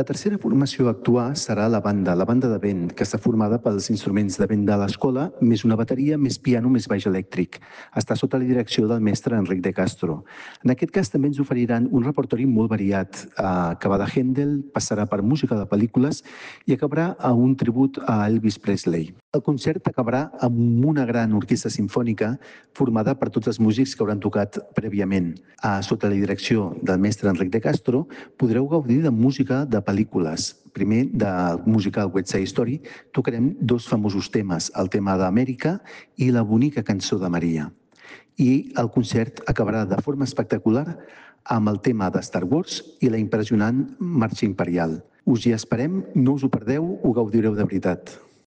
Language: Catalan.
La tercera formació a actuar serà la banda de vent, que està formada pels instruments de vent de l'escola, més una bateria, més piano, més baix elèctric. Està sota la direcció del mestre Enric de Castro. En aquest cas també ens oferiran un repertori molt variat, que va de Händel, passarà per música de pel·lícules i acabarà a un tribut a Elvis Presley. El concert acabarà amb una gran orquestra simfònica formada per tots els músics que hauran tocat prèviament. Sota la direcció del mestre Enric de Castro podreu gaudir de música de pel·lícules. Primer, del musical West Side Story, tocarem dos famosos temes, el tema d'Amèrica i la bonica cançó de Maria. I el concert acabarà de forma espectacular amb el tema de Star Wars i la impressionant Marxa Imperial. Us hi esperem, no us ho perdeu, ho gaudireu de veritat.